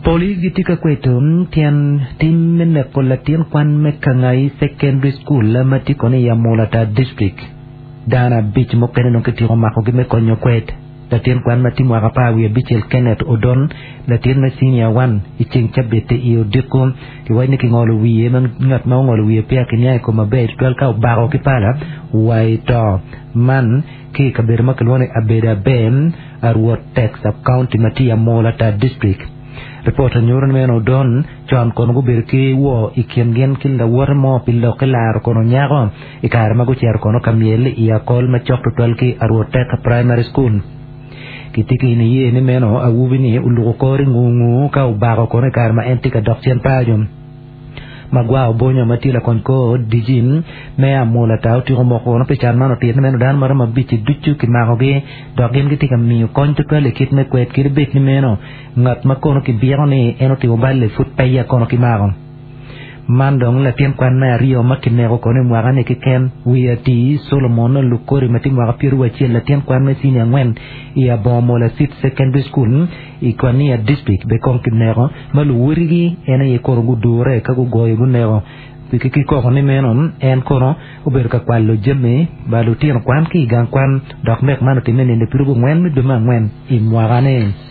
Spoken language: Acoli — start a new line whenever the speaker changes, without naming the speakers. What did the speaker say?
Police gitye ka kweto tyen tim me neko latin kwan me Kangai Secondary School ma tye kono i Amolatar District. Dano abic mukene dong kityeko makogi me konyo kwed. Latin kwan ma tye mwaka 15 Kenneth Odon, latin me Senior One i ceng cabit-ti i odiko, kiwaco ni kingolo wiye ma ngat ma ongolo wiye peya kiniang i kome maber tutwal ka obako ki pala wa i to. Man ki i kabedo ma kilwongo ni Abeda Aber, Arwot Tek Sub-County ma tye i Amolatar District. Ripot onyuto ni meno Odon con kono gubedo ki woo i kin gin ki lawote mo pi lok ki laro kono nyako i kare ma gucito kono ka myel i akol macok tutwal ki Arwot Tek Primary School. Kitye ki niye ni meno awobi-ni oluko kore ngu-ngu ka obako kono i kare ma en tye ka dok cen paco. Magwar Obonyo ma tye lakony kor DG me Amwola Tar otyeko moko kono pi can man otito ni meno dano maromo abic-ci ducu kimakogi dok gin gitye ka miyo kony tutwal i kit me kwed kadi bed ni meno ngat ma kono kibyeko ni en otimo bal-li pud peya kono kimako. Man dong latin kwan me aryo ma kineko kono i mwaka-ni keken. Wiye atir, Solomon Lukori ma tye mwaka pyeraryo latin kwan me cinia angwen i Abongo Mola Seed Secondary School i Kwania District be kong kineko ma luwotigi en aye kono gudure ka gugoyo guneko ki koko ni meno en kono obedo ka kwalo jami ba lutino kwan ki i gang kwan dok nek man otimme i nino pyerabongwen me dwe me angwen i mwaka-ni.